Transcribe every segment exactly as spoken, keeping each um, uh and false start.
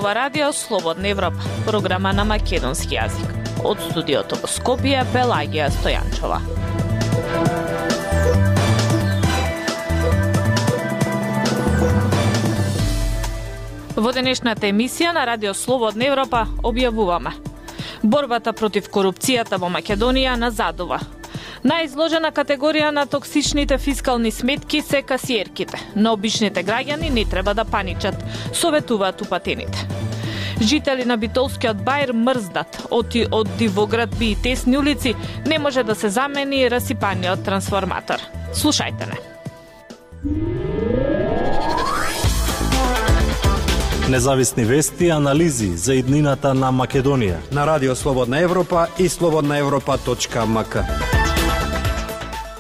ова радио Слободна Европа, програма на македонски јазик. Од студиото во Скопје, Пелагија Стојанчова. Во денешната емисија на радио Слободна Европа објавуваме: борбата против корупцијата во Македонија назадува. Најизложена категорија на токсичните фискални сметки се касиерките, но обичните граѓани не треба да паничат, советуваат упатените. Жители на Битолскиот бајр мрздат, оти од дивоградби и тесни улици не може да се замени расипаниот трансформатор. Слушајте не. Независни вести и анализи за иднината на Македонија на радио Слободна Европа и слободна европа точка ем ка.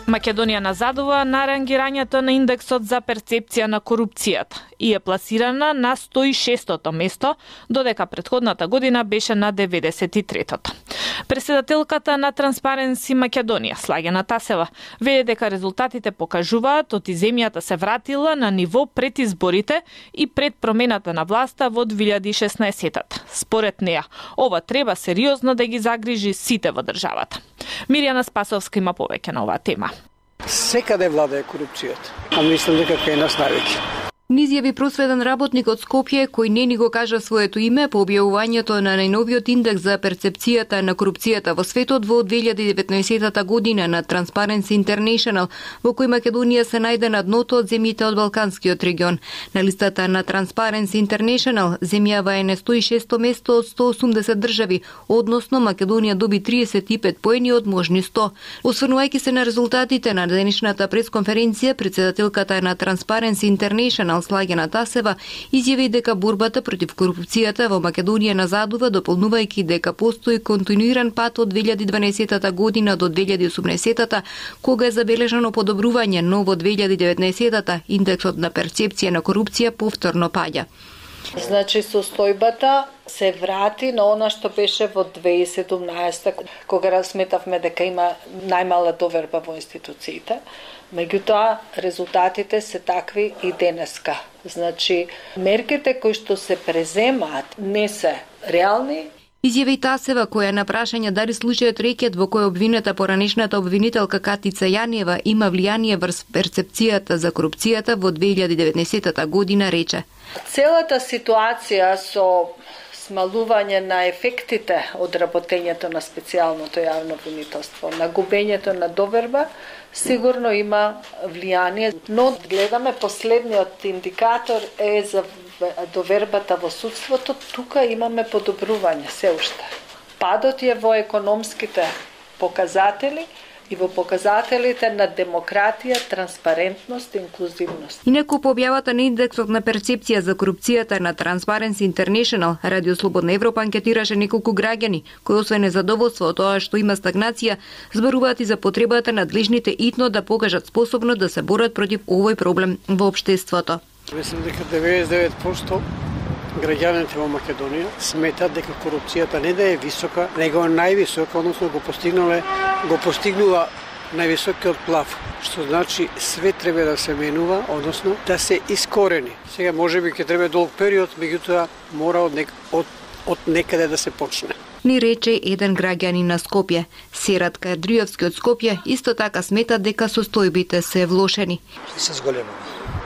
Македонија назадува на рангирањето на индексот за перцепција на корупцијата и е пласирана на сто и шестото место, додека претходната година беше на деветдесет и третото. Председателката на Транспаренси Македонија, Слагена Тасева, вели дека резултатите покажуваат оти земјата се вратила на ниво пред изборите и пред промената на власта во две илјади и шеснаесетта. Според неа, ова треба сериозно да ги загрижи сите во државата. Мирјана Спасовска има повеќе на оваа тема. Секаде владее корупцијата, а мислам дека кај нас највеќе. Низјави просветен работник од Скопје, кој не ни го кажа своето име по објавувањето на најновиот индекс за перцепцијата на корупцијата во светот во две илјади и деветнаесетта година на Transparency International, во кој Македонија се најде на дното од земјите од Балканскиот регион. На листата на Transparency International земјава е на сто и шесто место од сто и осумдесет држави, односно Македонија доби триесет и пет поени од можни сто. Осврнувајќи се на резултатите на денешната пресконференција, председателката на Transparency International Слагена Тасева изјави дека борбата против корупцијата во Македонија назадува, дополнувајќи дека постои континуиран пат од две илјади и дванаесетта година до две илјади и осумнаесетта, кога е забележано подобрување, но во две илјади и деветнаесетта индексот на перцепција на корупција повторно паѓа. Значи, состојбата се врати на она што беше во две илјади и седумнаесетта, кога разсметавме дека има најмала доверба во институциите. Меѓутоа, резултатите се такви и денеска. Значи, мерките кои што се преземаат не се реални. Изјави Тасева, која на прашање дали случајот рекет во кој обвинета поранешната обвинителка Катица Јаниева има влијание врз перцепцијата за корупцијата во две илјади и деветнаесетта година, рече: Целата ситуација со смалување на ефектите од работењето на специјалното јавно обвинителство, на губењето на доверба, сигурно има влијание, но гледаме последниот индикатор е за довербата во судството, тука имаме подобрување се уште. Падот е во економските показатели и во показателите на демократија, транспарентност и инклузивност. Инаку по објавата на индексот на перцепција за корупцијата на Transparency International, Радио Слободна Европа анкетираше неколку граѓани, кои освен незадоволство од тоа што има стагнација, зборуваат и за потребата надлежните итно да покажат способност да се борат против овој проблем во општеството. Мислам дека деветдесет и девет проценти граѓаните во Македонија сметат дека корупцијата не да е висока, него е највисока, односно го постигнале, го постигнува највисокиот плаф, што значи све треба да се менува, односно да се искорени. Сега можеби ќе треба долг период, меѓутоа мора од, нек, од, од некаде да се почне. Ни рече еден граѓанин на Скопје. Серат Кадриевски од Скопје исто така смета дека состојбите се влошени. Се зголемува.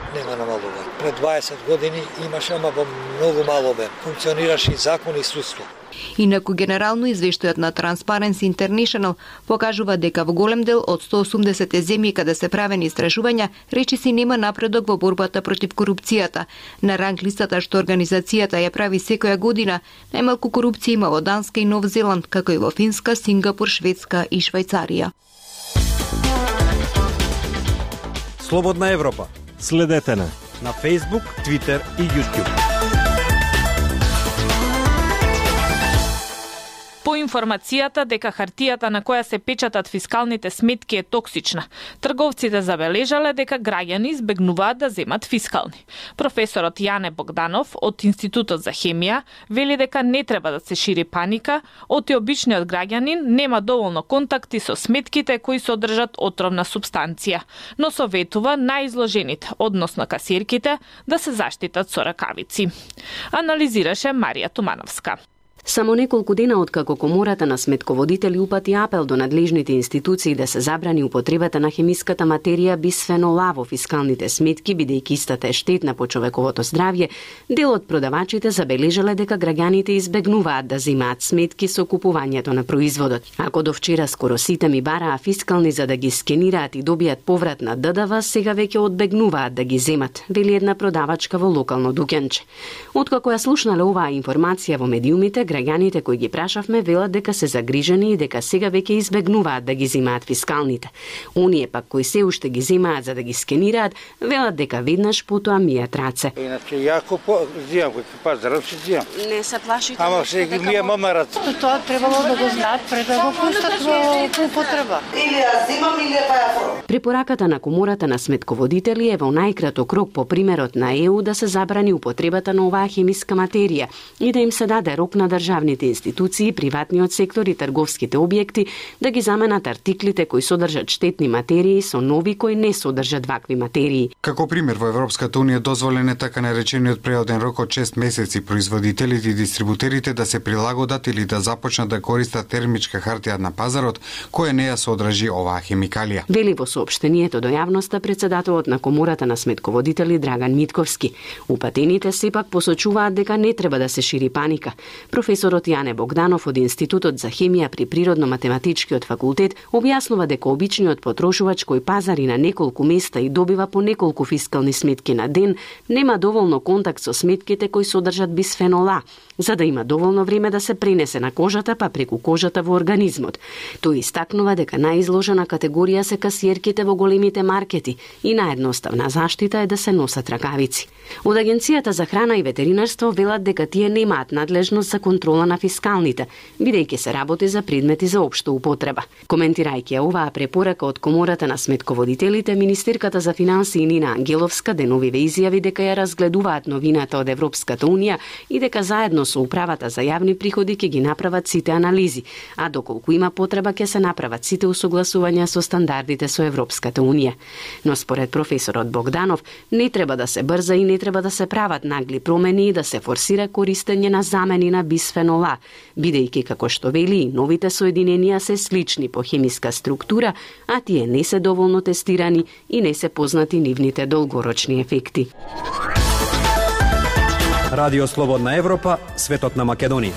Нема намалување. Пред дваесет години имаше, ама во многу мал обем. Функционираше и закон и судство. Инаку генерално извештајот на Transparency International покажува дека во голем дел од сто и осумдесет земји каде се правени истражувања, речиси нема напредок во борбата против корупцијата. На ранг листата што организацијата ја прави секоја година, најмалку корупција има во Данска и Нов Зеланд, како и во Финска, Сингапур, Шведска и Швајцарија. Слободна Европа. Следете на на Facebook, Twitter и YouTube. По информацијата дека хартијата на која се печатат фискалните сметки е токсична, трговците забележале дека граѓани избегнуваат да земат фискални. Професорот Јане Богданов од Институтот за хемија вели дека не треба да се шири паника, оти обичниот граѓанин нема доволно контакти со сметките кои содржат отровна супстанција, но советува најизложените, односно касирките, да се заштитат со ракавици. Анализираше Марија Тумановска. Само неколку дена откако Комората на сметководители упати апел до надлежните институции да се забрани употребата на хемиската материја бисфенол А во фискалните сметки, бидејќи истата е штетна по човековото здравје, дел од продавачите забележале дека граѓаните избегнуваат да земаат сметки со купувањето на производот. Ако до вчера скоро сите ми бараа фискални за да ги скенираат и добијат поврат на Д Д В, сега веќе одбегнуваат да ги земат, вели една продавачка во локално дуќанче. Откако ја слушнале оваа информација во медиумите, граѓаните кои ги прашавме велат дека се загрижени и дека сега веќе избегнуваат да ги земаат фискалните. Оние пак кои се уште ги земаат за да ги скенираат, велат дека веднаш потоа мијат раце. Иначе јако по земам кој пазарот си земам. Не се плашите? Ама се ги мија мама раце. Тоа требало да го знаат пред да го пуштат во употреба. Или ја земам или ја паја. Препораката на Комората на сметководители е во најкраток рок по примерот на Е У да се забрани употребата на оваа хемиска материја и да им се даде рок на државните институции, приватниот сектор и трговските објекти да ги заменат артиклите кои содржат штетни материи со нови кои не содржат вакви материи. Како пример во Европската унија дозволен е така наречениот преоден рок од шест месеци производителите и дистрибутерите да се прилагодат или да започнат да користат термичка хартија на пазарот која не ја содржи оваа хемикалија. Вели во соопштението до јавноста председателот на Комората на сметководители Драган Митковски. Упатените сепак посочуваат дека не треба да се шири паника. Професорот Јане Богданов од Институтот за хемија при Природно-математичкиот факултет објаснува дека обичниот потрошувач кој пазари на неколку места и добива по неколку фискални сметки на ден, нема доволно контакт со сметките кои содржат бисфенол А, за да има доволно време да се пренесе на кожата па преку кожата во организмот. Тој истакнува дека најизложена категорија се касиерките во големите маркети и наједноставна заштита е да се носат ракавици. Од Агенцијата за храна и ветеринарство велат дека тие немаат надлежност за контрола на фискалните, бидејќи се работи за предмети за општа употреба. Коментирајќи оваа препорака од Комората на сметководителите, министерката за финансии Нина Ангеловска деновиве изјави дека ја разгледуваат новината од Европската унија и дека заедно со управата за јавни приходи ќе ги направат сите анализи, а доколку има потреба ќе се направат сите усогласувања со стандардите со Европската унија. Но според професорот Богданов не треба да се брза и не треба да се прават нагли промени и да се форсира користење на замени на бисфенол А, бидејќи како што вели и новите соединенија се слични по хемиска структура, а тие не се доволно тестирани и не се познати нивните долгорочни ефекти. Радио Слободна Европа, светот на Македонија.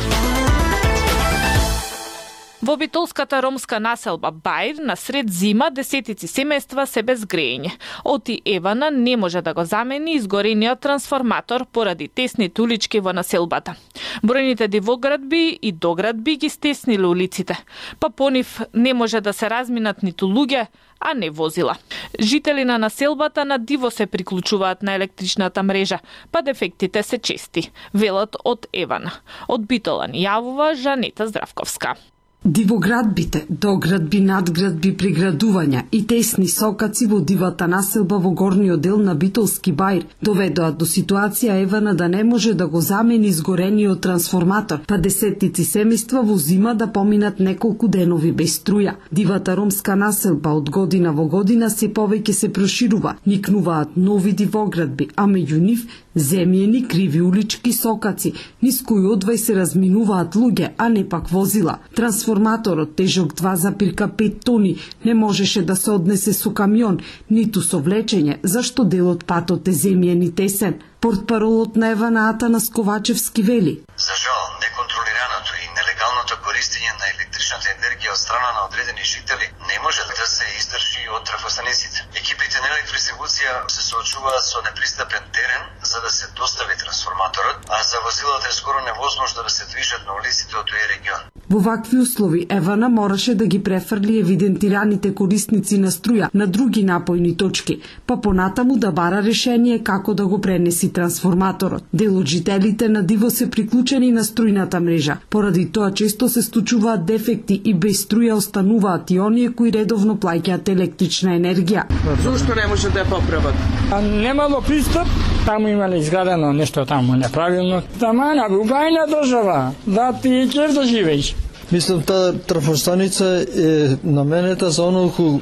Во битолската ромска населба Бајр на сред зима десетици семејства се без грејење. Оти Евана не може да го замени изгорениот трансформатор поради тесните улички во населбата. Бројните дивоградби и доградби ги стесниле улиците, па по нив не може да се разминат ниту луѓе, а не возила. Жители на населбата на диво се приклучуваат на електричната мрежа, па дефектите се чести, велат од Евана. Од Битола ни јавува Жанета Здравковска. Дивоградбите, доградби, надградби, приградувања и тесни сокаци во дивата населба во горниот дел на Битолски Бајр доведоа до ситуација Евана да не може да го замени изгорениот трансформатор, па десетици семејства во зима да поминат неколку денови без струја. Дивата ромска населба од година во година се повеќе се проширува, никнуваат нови дивоградби, а меѓу нив земјени криви улички сокаци, низ кои одвај се разминуваат луѓе, а не пак возила. Трансформаторот тежок два зарез пет тони не можеше да се однесе со камион, ниту со влечење, зашто дел од патот е земјен и тесен. Портпаролот на Евана Атанас Ковачевски вели: За жал, неконтролираното и нелегалното користење на електричната енергија од страна на одредени жители не може да се издржи од трафостаниците. Екипите на електродистрибуција се соочуваат со непристапен терен за да се достави трансформаторот, а за возилата е скоро невозможно да се движат на улиците од тој регион. Во вакви услови Евана мораше да ги префрли евидентираните корисници на струја на други напојни точки, па понатаму да бара решение како да го пренеси трансформаторот. Дел од жителите на диво се приклучени на струјната мрежа. Поради тоа често се случуваат дефекти и без струја остануваат и оние кои редовно плаќаат електрична енергија. Зошто не може да ја поправат? А немало пристап, таму имале изградено нешто таму неправилно. Тамана, убајна држава, да ти ќе да живееш. Мислам, таа трафостаница е наменета за онолку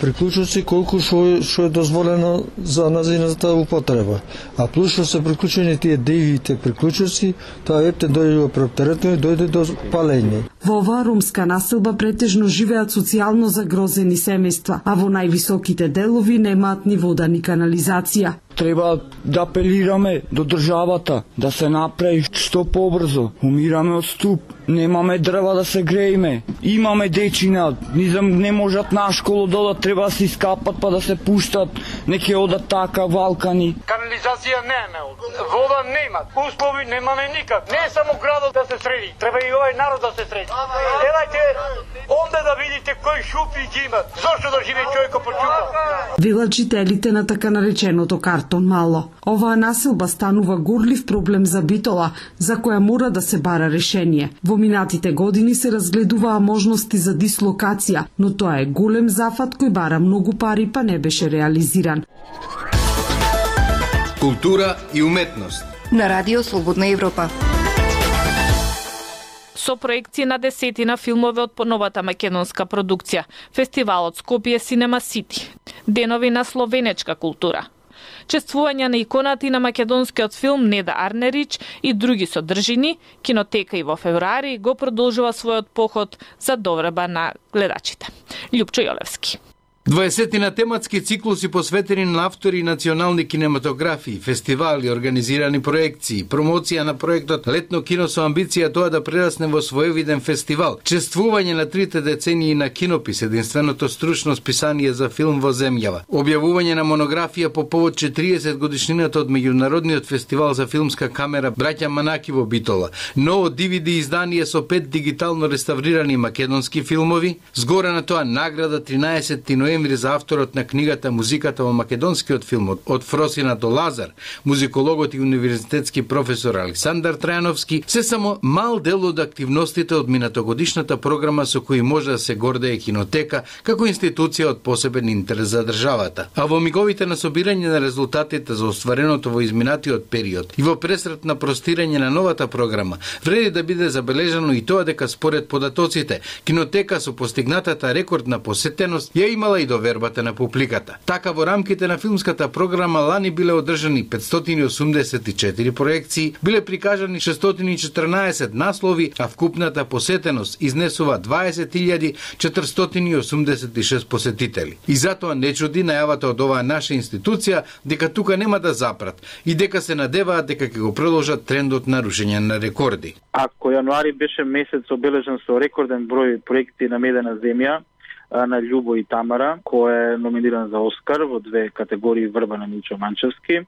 приклучоци колку што што е дозволено за назината употреба. А плюс што се приклучени тие девите приклучоци, тоа епте дојде преоптеретно и дојде до палење. Во оваа ромска населба претежно живеат социјално загрозени семејства, а во највисоките делови немаат ни вода ни канализација. Треба да апелираме до државата да се направи што побрзо. Умираме од ступ, немаме дрва да се грееме, имаме дечина, низам не можат на школу додат, треба да се искапат па да се пуштат, неке одат така валкани. Канализација нема, вода нема, услови немаме никак. Не е само градот да се среди, треба и овој народ да се среди. Елајте онде да видите кој шупи ги има, зошто да живее човекот под шупа. Велат жителите на така нареченото Картон Мало. Оваа населба станува горлив проблем за Битола, за која мора да се бара решение. Во минатите години се разгледуваа можности за дислокација, но тоа е голем зафат кој бара многу пари па не беше реализиран. Култура и уметност. На Радио Слободна Европа. Со проекции на десетина филмови од поновата македонска продукција, фестивалот Скопје Cinema City, денови на словенечка култура, чествување на иконата и на македонскиот филм Неда Арнерич и други содржини, кинотека и во февруари го продолжува својот поход за довреба на гледачите. Љупчо Јолевски. дваесетина тематски циклуси посветени на автори и национални кинематографии, фестивали, организирани проекции, промоција на проектот Летно кино со амбиција тоа да прерасне во своевиден фестивал, чествување на трите децении на кинопис, единственото стручно списание за филм во земјава, објавување на монографија по повод четириесет годишнината од меѓународниот фестивал за филмска камера Браќа Манаки во Битола, ново ди ви ди издание со пет дигитално реставрирани македонски филмови, згора на тоа награда тринаесетти ноември за авторот на книгата Музиката во македонскиот филм од Фросина до Лазар, музикологот и универзитетски професор Александар Трајановски, се само мал дел од активностите од минатогодишната програма со кои може да се гордее кинотека како институција од посебен интерес за државата. А во миговите на собирање на резултатите за оствареното во изминатиот период и во пресрет на простирање на новата програма, вреди да биде забележано и тоа дека според податоците, кинотека со постигнатата рекордна посетеност ја имала и довербата на публиката. Така во рамките на филмската програма лани биле одржани петстотини и осумдесет и четири проекции, биле прикажани шестстотини и четрнаесет наслови, а вкупната посетеност изнесува дваесет илјади четиристотини и осумдесет и шест посетители. И затоа не чуди најавата од оваа наша институција дека тука нема да запрат и дека се надеваат дека ќе го продолжат трендот на рушење на рекорди. Ако јануари беше месец обележан со рекорден број проекти на Медена земја, на Љубо и Тамара, кој е номиниран за Оскар во две категории Врба на Милчо Манчевски,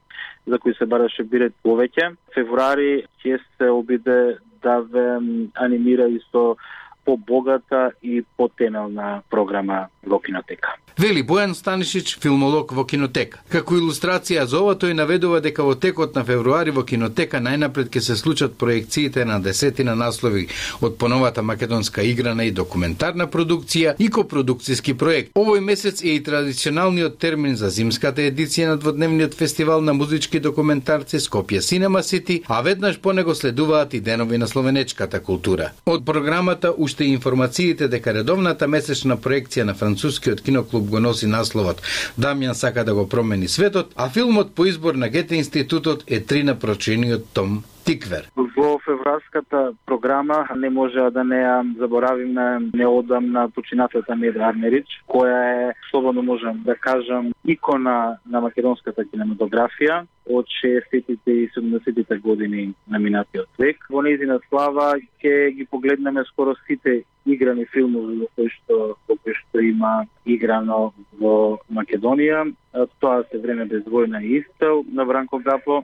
за кои се бараше бирет повеќе. Февруари ќе се обиде да ве анимира и со побогата и потемелна програма во кинотека. Вели Бојан Станишич, филмолог во кинотека. Како илустрација за ова тој наведува дека во текот на февруари во кинотека најнапред ќе се случат проекциите на десетина наслови од поновата македонска играна и документарна продукција и копродукцијски проект. Овој месец е и традиционалниот термин за зимската едиција на дводневниот фестивал на музички документарци Скопје Cinema City, а веднаш по него следуваат и денови на словенечката култура. Од програмата уште и информациите дека редовната месечна проекција на францускиот киноклуб го носи насловот Дамјан сака да го промени светот, а филмот по избор на Гете институтот е три на прочениот Том Тиквер. Во февруарската програма не може да не ја заборавиме неодамна починатата Неда Арнерич, која е, слободно можам да кажам, икона на македонската кинематографија од шеесеттите и седумдесеттите години на минатиот век. Во нејзина слава ќе ги погледнеме скоро сите играни филмови во кои што во кои што има играно во Македонија. Тоа се Време без војна и Испел на Бранко Гапо,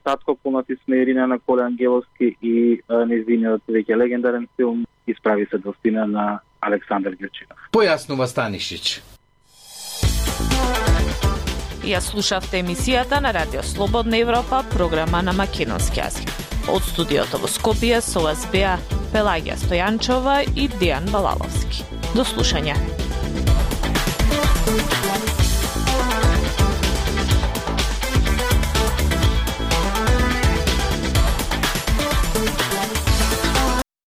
Татко полнати сме Ирина на Коле Ангеловски и нејзиниот веќе легендарен филм Исправи се достина на Александар Грчинов. Појаснува Станишич. Ја слушавте емисијата на Радио Слободна Европа, програма на македонски јазик. Од студиото во Скопје со вас беа Пелагија Стојанчова и Дејан Балаловски. До слушање.